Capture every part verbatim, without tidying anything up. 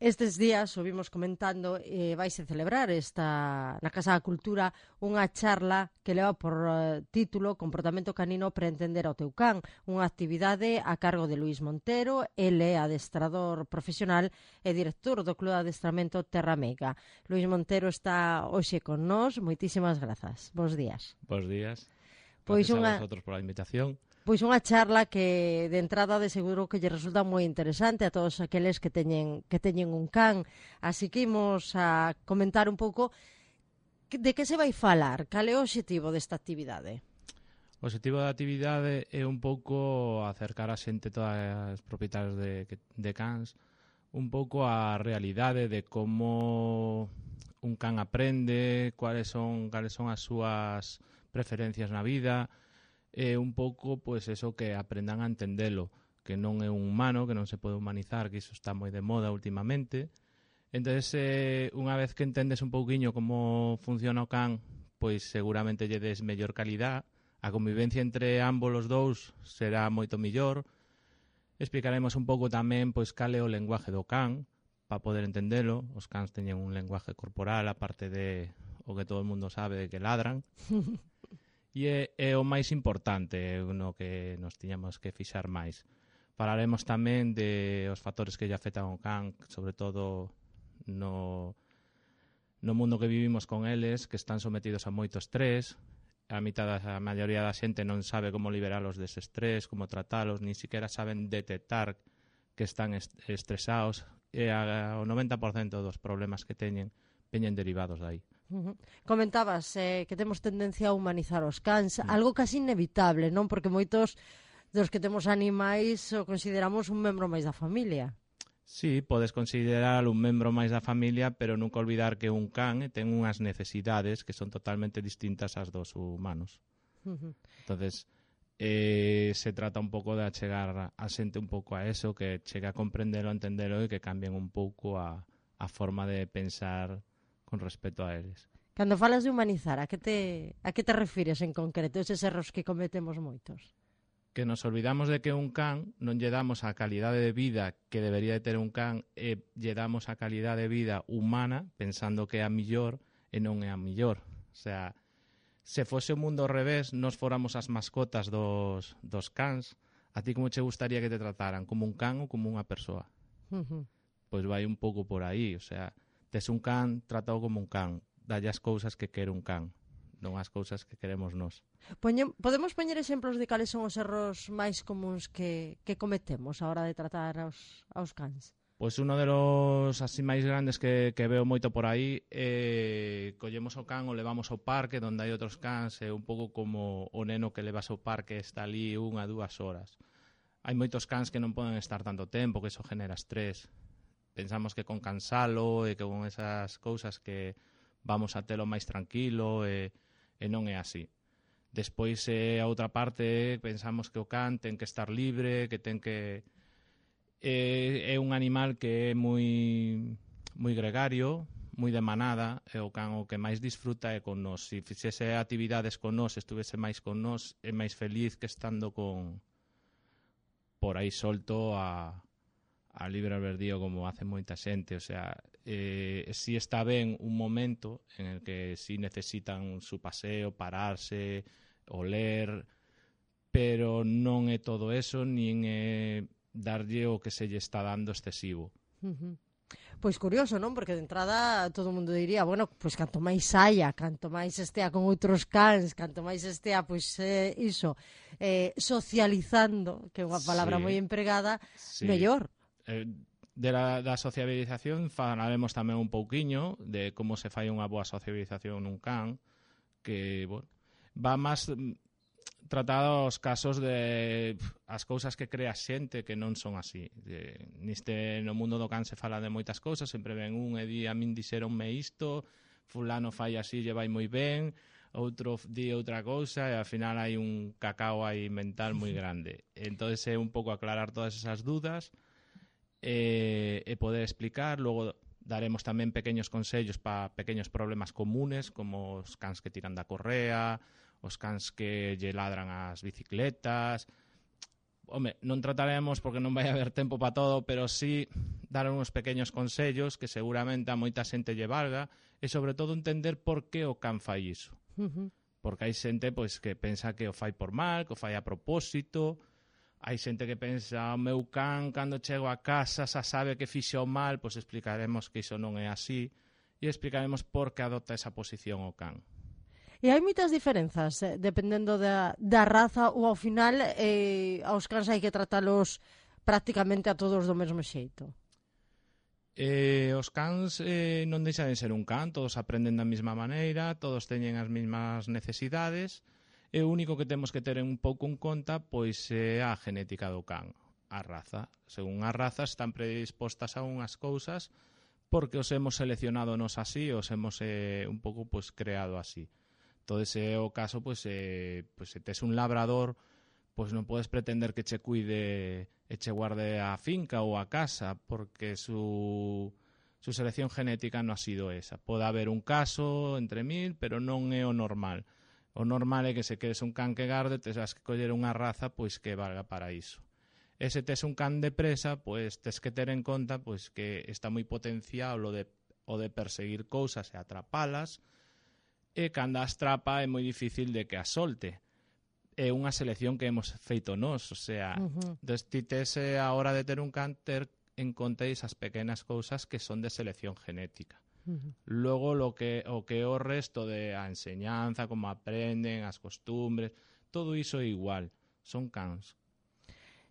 Estes días, o vimos comentando, eh, vaise celebrar esta na Casa da Cultura unha charla que leva por uh, título Comportamento canino para entender ao teu can, unha actividade a cargo de Luís Montero. Ele é adestrador profesional e director do Club de Adestramento Terra Meiga. Luís Montero está hoxe con nós. Moitísimas grazas. Bos días. Bos días. Pois Gracias unha... a vosotros pola invitación. Pois unha charla que de entrada de seguro que lle resulta moi interesante a todos aqueles que teñen que teñen un can. Así que imos a comentar un pouco de que se vai falar, cal é o obxectivo desta actividade. O obxectivo da actividade é un pouco acercar a xente, todas as propietarios de, de cans, un pouco a realidade de como un can aprende, cuáles son, cuáles son as súas preferencias na vida. É un pouco, pois, eso, que aprendan a entendelo, que non é un humano, que non se pode humanizar, que iso está moi de moda últimamente. Entón, eh, unha vez que entendes un pouquiño como funciona o can, pois seguramente lle des mellor calidad, a convivencia entre ambos os dous será moito mellor. Explicaremos un pouco tamén pois cal é o lenguaje do can, para poder entendelo. Os cans teñen un lenguaje corporal, aparte de o que todo o mundo sabe de que ladran. E é, é o máis importante no que nos tiñamos que fixar máis. Falaremos tamén de os factores que lle afectan ao can, sobre todo no, no mundo que vivimos con eles, que están sometidos a moito estrés. A mitad da a maioría da xente non sabe como liberalos dese estrés, como tratalos, nin siquiera saben detectar que están est estresados. E a, o noventa por cento dos problemas que teñen veñen derivados de aí. Uh -huh. Comentabas eh, que temos tendencia a humanizar os cans, mm. algo casi inevitable, non? Porque moitos dos que temos animais o consideramos un membro máis da familia. Sí, podes considerar un membro máis da familia, pero nunca olvidar que un can ten unhas necesidades que son totalmente distintas ás dos humanos. Uh -huh. Entonces, eh, se trata un pouco de achegar a xente un pouco a eso, que chegue a comprendelo, a entendelo e que cambien un pouco a, a forma de pensar con respecto a eles. Cando falas de humanizar, a que te, a que te refires en concreto, eses erros que cometemos moitos? Que nos olvidamos de que un can non lle damos a calidade de vida que debería de ter un can e lle damos a calidade de vida humana pensando que é a millor e non é a millor. O sea, se fose o mundo ao revés, nos fóramos as mascotas dos, dos cans, a ti como che gustaría que te trataran? Como un can ou como unha persoa? Uh -huh. Pois vai un pouco por aí, o sea, tes un can tratado como un can, dalle as cousas que quere un can, non as cousas que queremos nós. Poñe, podemos poñer exemplos de cales son os erros máis comuns que, que cometemos a hora de tratar aos, aos cans? Pois uno de los así máis grandes que, que veo moito por aí é eh, collemos o can o levamos ao parque onde hai outros cans, é un pouco como o neno que levas ao parque está ali unha, dúas horas. Hai moitos cans que non poden estar tanto tempo, que iso genera estrés. Pensamos que con cansalo e que con esas cousas que vamos a telo máis tranquilo e, e non é así. Despois, eh, a outra parte, pensamos que o can ten que estar libre, que ten que... É, é un animal que é moi, moi gregario, moi de manada, e o can o que máis disfruta é con nós. Se fixese actividades con nós, estuvese máis con nós, é máis feliz que estando con por aí solto a... a libre albedrío como hace moita xente. O sea, eh, si está ben un momento en el que si necesitan su paseo, pararse, oler, pero non é todo eso, nin é darlle o que se lle está dando excesivo. Uh -huh. Pois curioso, non? Porque de entrada todo o mundo diría, bueno, pois canto máis saia, canto máis estea con outros cans, canto máis estea, pois eh, iso, eh, socializando, que é unha palabra sí. moi empregada, sí. mellor. Eh, de la, da sociabilización falaremos tamén un pouquiño de como se fai unha boa sociabilización nun can, que bueno, va máis tratado os casos de as cousas que crea xente que non son así. De, neste, no mundo do can se fala de moitas cousas, sempre ven un e di a min dixeronme isto, fulano fai así, lle vai moi ben, outro di outra cousa e ao final hai un cacao aí mental moi grande. Entón é un pouco aclarar todas esas dudas e, e poder explicar. Logo daremos tamén pequeños consellos para pequeños problemas comunes, como os cans que tiran da correa, os cans que lle ladran as bicicletas, home, non trataremos porque non vai haber tempo para todo, pero sí dar uns pequenos consellos que seguramente a moita xente lle valga e sobre todo entender por que o can fai iso. Uh-huh. Porque hai xente pois, que pensa que o fai por mal, que o fai a propósito, hai xente que pensa o meu can cando chego a casa xa sabe que fixo mal, pois explicaremos que iso non é así e explicaremos por que adopta esa posición o can. E hai moitas diferenzas, eh, dependendo da, da raza, ou ao final eh, aos cans hai que tratalos prácticamente a todos do mesmo xeito. Eh, os cans eh, non deixan de ser un can, todos aprenden da mesma maneira, todos teñen as mesmas necesidades, e o único que temos que ter un pouco en conta pois é a genética do can, a raza. Según as razas están predispostas a unhas cousas porque os hemos seleccionado nos así, os hemos eh, un pouco pois creado así. Todo ese é o caso, pois, eh, pois se tes un labrador, pois non podes pretender que che cuide e che guarde a finca ou a casa, porque su, su selección genética non ha sido esa. Pode haber un caso entre mil, pero non é o normal. O normal é que se queres un can que garde, tes que coller unha raza pois que valga para iso. E se tes un can de presa, pois tes que ter en conta pois que está moi potenciado o de, o de perseguir cousas e atrapalas, e cando as trapa é moi difícil de que as solte. É unha selección que hemos feito nós, o sea, uh-huh. destítese a hora de ter un can ter en conta esas pequenas cousas que son de selección genética. Uh-huh. Logo, lo que, o que o resto de a enseñanza, como aprenden, as costumbres, todo iso é igual, son cans.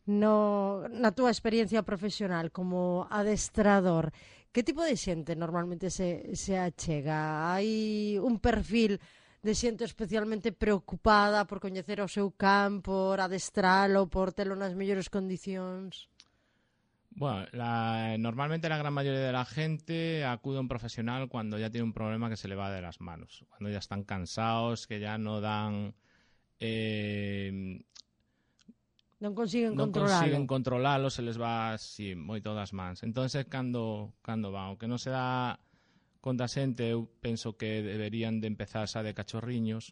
No, na túa experiencia profesional como adestrador, que tipo de xente normalmente se, se achega? Hai un perfil de xente especialmente preocupada por coñecer o seu can, por adestralo, por telo nas mellores condicións? Bueno, la, normalmente la gran mayoría de la gente acude a un profesional cuando ya tiene un problema que se le va de las manos, cuando ya están cansados, que ya no dan... Eh, Non consiguen non controlalo. consiguen controlalo, se les va así moito das mans. Entonces, cando, cando van, o que non se dá conta a xente, eu penso que deberían de empezar xa de cachorriños,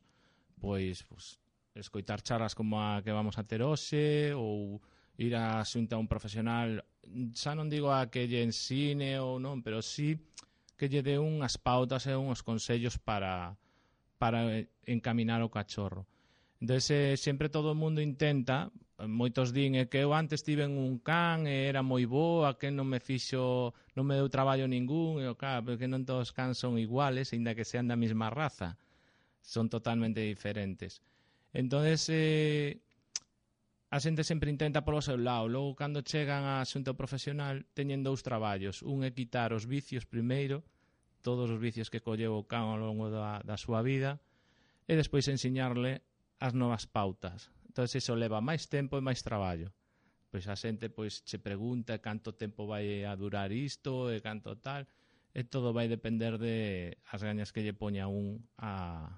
pois, pois escoitar charlas como a que vamos a ter hoxe, ou ir a xunta a un profesional, xa non digo a que lle ensine ou non, pero sí que lle dé unhas pautas e uns consellos para, para encaminar o cachorro. Entón, sempre todo o mundo intenta, moitos din é que eu antes tiven un can e era moi boa, que non me fixo, non me deu traballo ningún, e claro, porque non todos os cans son iguales, ainda que sean da mesma raza, son totalmente diferentes. Entón, eh, a xente sempre intenta polo seu lado, logo cando chegan a xunta profesional teñen dous traballos, un é quitar os vicios primeiro, todos os vicios que colleu o can ao longo da, da súa vida, e despois ensiñarle as novas pautas. Entón, iso leva máis tempo e máis traballo. Pois a xente pois che pregunta canto tempo vai a durar isto e canto tal, e todo vai depender de as gañas que lle poña un a,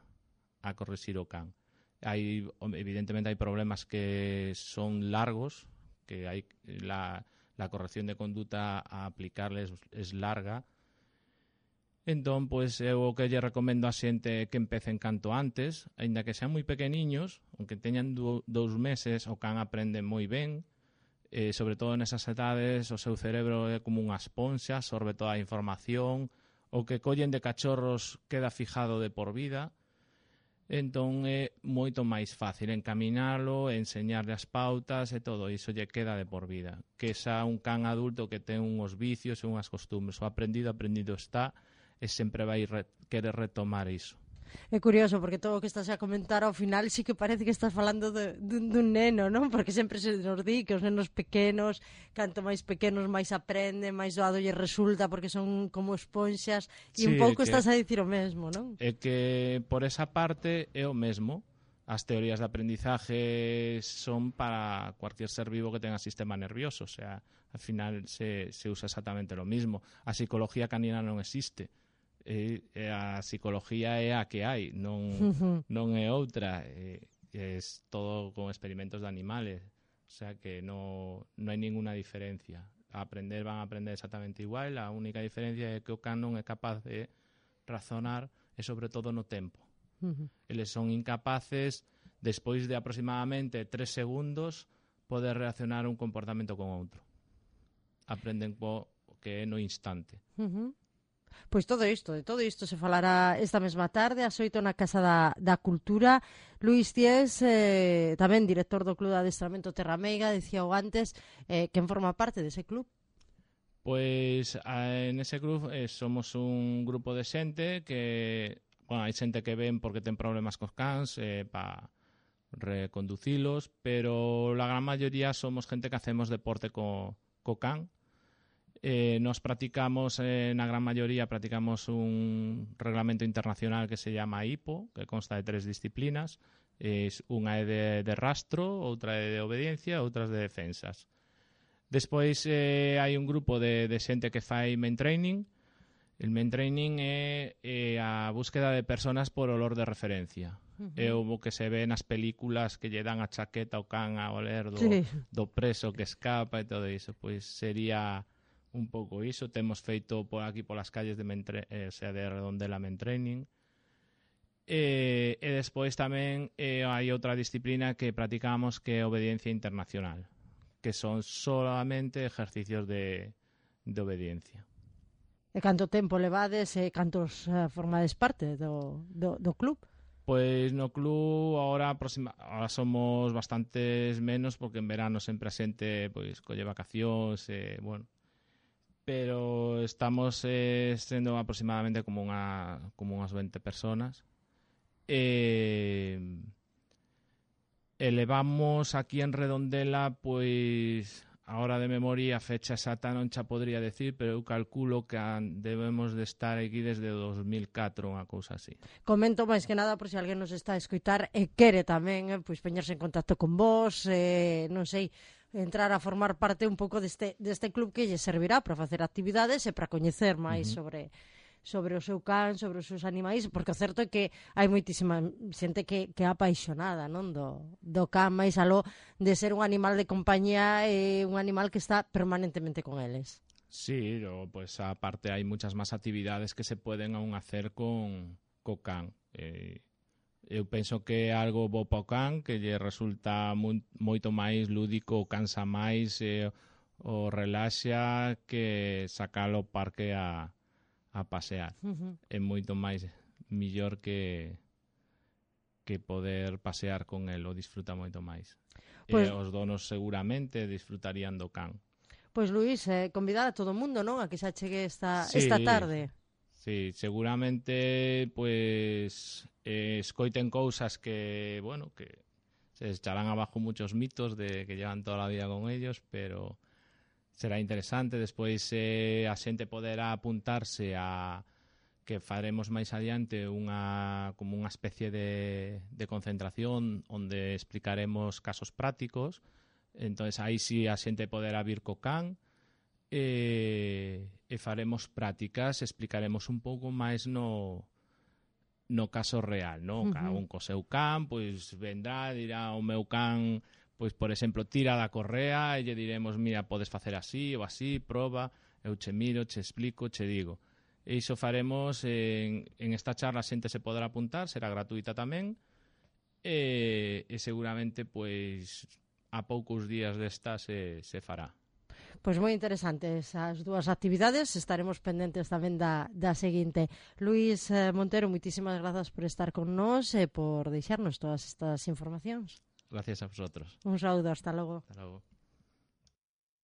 a corrixir o can. Hai, evidentemente, hai problemas que son largos, que hai la, la corrección de conduta a aplicarles es larga. Entón, pois, eu o que lle recomendo a xente que empecen canto antes, aínda que sean moi pequeniños, aunque teñan do, dous meses, o can aprende moi ben, eh, sobre todo nesas edades, o seu cerebro é como unha esponxa, absorbe toda a información, o que collen de cachorros queda fijado de por vida, entón é moito máis fácil encaminalo, enseñarle as pautas e todo iso lle queda de por vida. Que xa un can adulto que ten uns vicios e unhas costumbres, o aprendido, aprendido está, e sempre vai re querer retomar iso. É curioso, porque todo o que estás a comentar ao final sí que parece que estás falando de, dun, dun neno, non? Porque sempre se nos di que os nenos pequenos, canto máis pequenos máis aprenden, máis doado lle resulta, porque son como esponxas, e sí, un pouco que, estás a dicir o mesmo, non? É que por esa parte é o mesmo. As teorías de aprendizaje son para cualquier ser vivo que tenga sistema nervioso, o sea, al final se, se usa exactamente lo mismo. A psicología canina non existe. E, e a psicología é a que hai, non, non é outra, é, é todo con experimentos de animales, o sea que non, non hai ninguna diferencia. A aprender van a aprender exactamente igual, a única diferencia é que o can non é capaz de razonar e sobre todo no tempo. Eles son incapaces, despois de aproximadamente tres segundos, poder reaccionar un comportamento con outro. Aprenden po que é no instante. Uh -huh. Pois todo isto, de todo isto se falará esta mesma tarde ás oito na Casa da, da Cultura. Luís Ties, eh, tamén director do Club de Adestramento Terrameiga, dicía o antes, eh, quen forma parte dese club? Pois en ese club eh, somos un grupo de xente que, bueno, hai xente que ven porque ten problemas cos cans eh, para reconducilos, pero la gran mayoría somos gente que hacemos deporte co, co can. Eh, nos practicamos, eh, na gran mayoría, practicamos un reglamento internacional que se llama I P O, que consta de tres disciplinas. Es, unha é de, de rastro, outra é de obediencia, outras de defensas. Despois eh, hai un grupo de, de xente que fai main training. El main training é, é a búsqueda de personas por olor de referencia. Uh-huh. É o que se ve nas películas que lle dan a chaqueta ao can a oler do, sí. do preso que escapa e todo iso. Pois sería un pouco iso. Temos feito por aquí polas calles de, Mentre, eh, o sea, de Redondela main training. E, e despois tamén eh, hai outra disciplina que practicamos que é obediencia internacional, que son solamente ejercicios de, de obediencia. E canto tempo levades e cantos uh, formades parte do, do, do club? Pois no club ahora, aproxima, ahora somos bastantes menos porque en verano sempre a xente pois, colle vacacións e, bueno, pero estamos eh, sendo aproximadamente como unha como unhas veinte personas. E, elevamos aquí en Redondela, pois, ahora de memoria, a fecha exacta non xa podría decir, pero eu calculo que debemos de estar aquí desde o dos mil catro, unha cousa así. Comento máis que nada por se alguén nos está a escoitar e quere tamén, eh, pois, poñerse en contacto con vos, eh, non sei, entrar a formar parte un pouco deste, deste club que lle servirá para facer actividades e para coñecer máis uh -huh. sobre sobre o seu can, sobre os seus animais, porque o certo é que hai moitísima xente que, que é apaixonada, non, do, do can, máis aló de ser un animal de compañía e un animal que está permanentemente con eles. Sí, o, pues aparte hai muchas máis actividades que se poden aún hacer con co can. Eh, eu penso que é algo bo para o can, que lle resulta mu, moito máis lúdico, cansa máis, eh, o relaxa que sacalo ao parque a a pasear. Uh-huh. É moito máis millor que que poder pasear con el, o disfruta moito máis. Pues, e os donos seguramente disfrutarían do can. Pois Luís, eh, convidar a todo o mundo, non? A que xa chegue esta, sí, esta tarde. Sí, seguramente pues eh, escoiten cousas que, bueno, que se echarán abajo muchos mitos de que llevan toda la vida con ellos, pero será interesante. Despois eh, a xente poderá apuntarse a que faremos máis adiante unha como unha especie de, de concentración onde explicaremos casos prácticos. Entonces aí sí a xente poderá vir co can e, e faremos prácticas, explicaremos un pouco máis no no caso real, non? Uh -huh. Cada un co seu can, pois vendrá, dirá o meu can, pois, por exemplo, tira da correa e lle diremos, mira, podes facer así ou así, proba, eu che miro, che explico, che digo. E iso faremos en, en esta charla, a xente se podrá apuntar, será gratuita tamén, e, e seguramente, pois, a poucos días desta se, se fará. Pois moi interesantes as dúas actividades, estaremos pendentes tamén da, da seguinte. Luís eh, Montero, moitísimas grazas por estar con nós e por deixarnos todas estas informacións. Gracias a vosotros. Un saúdo, hasta logo. Hasta logo.